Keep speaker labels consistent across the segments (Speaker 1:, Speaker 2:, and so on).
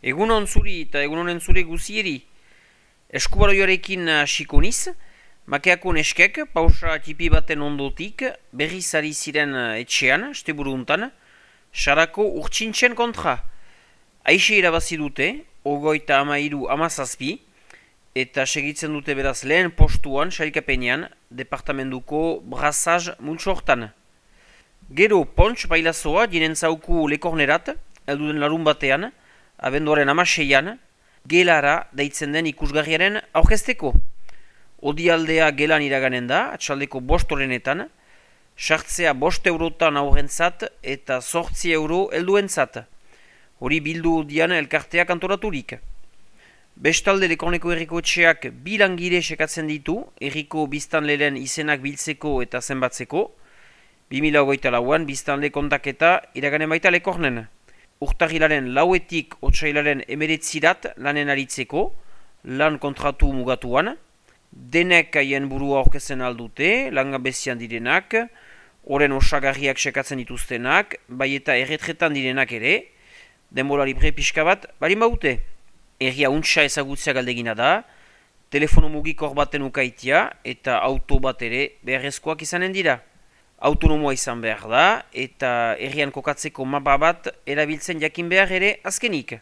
Speaker 1: Egunon zuri eta egunonen zure guzieri. Eskubaroioarekin hasiko niz, makeako neskek, pausa tipi baten ondotik, berriz ari ziren etxean, esteburu untan, sarako urtsintzen kontra. Aixe irabazi dute, 33-17, eta segitzen dute beraz lehen postuan, sailkapenean, departamentuko brazaz multsortan. Gero Pontx bailazoa dinen zauku lekornerat, elduden larun batean, abenduaren 16an, gelara deitzen den ikusgarriaren aurkezteko. Odialdea gelan iraganen da, atxaldeko 5 horrenetan, sartzea 5 eurotan aurrentzat eta 8 euro helduentzat. Hori bildu odian elkarteak antoraturik. Bestalde Lekorneko herriko etxeak 2 langile sekatzen ditu, herriko biztanleren izenak biltzeko eta zenbatzeko, 2024an biztanle kontaketa iraganen baita Lekornen. Urtarrilaren 4etik otsailaren 19 lanen aritzeko, lan kontratu mugatuan, denek haien burua aurkezen aldute, langabezian direnak, oren osagarriak sekatzen dituztenak, bai eta erretretan direnak ere, denbora libre pixka bat, balin baute. Herria untsa ezagutzea galdegina da, telefono mugikor baten ukaitia eta auto bat ere beharrezkoak izanen dira. Autonomoa izan behar da, eta herrian kokatzeko mapa bat erabiltzen jakin behar ere azkenik.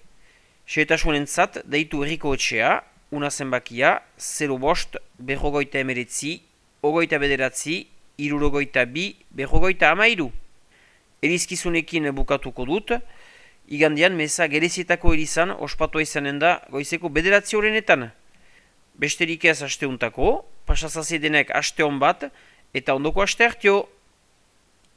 Speaker 1: Xehetasunentzat deitu herriko etxea, una zenbakia, 05, 59, 29, 62, 13. Erizkizunekin bukatuko dut, igandean meza gerezietako erizan ospatua izanen da goizeko 9 horrenetan. Besterik ez asteuntako, pasazazi denek aste hon bat, eta ondoko aste hartio.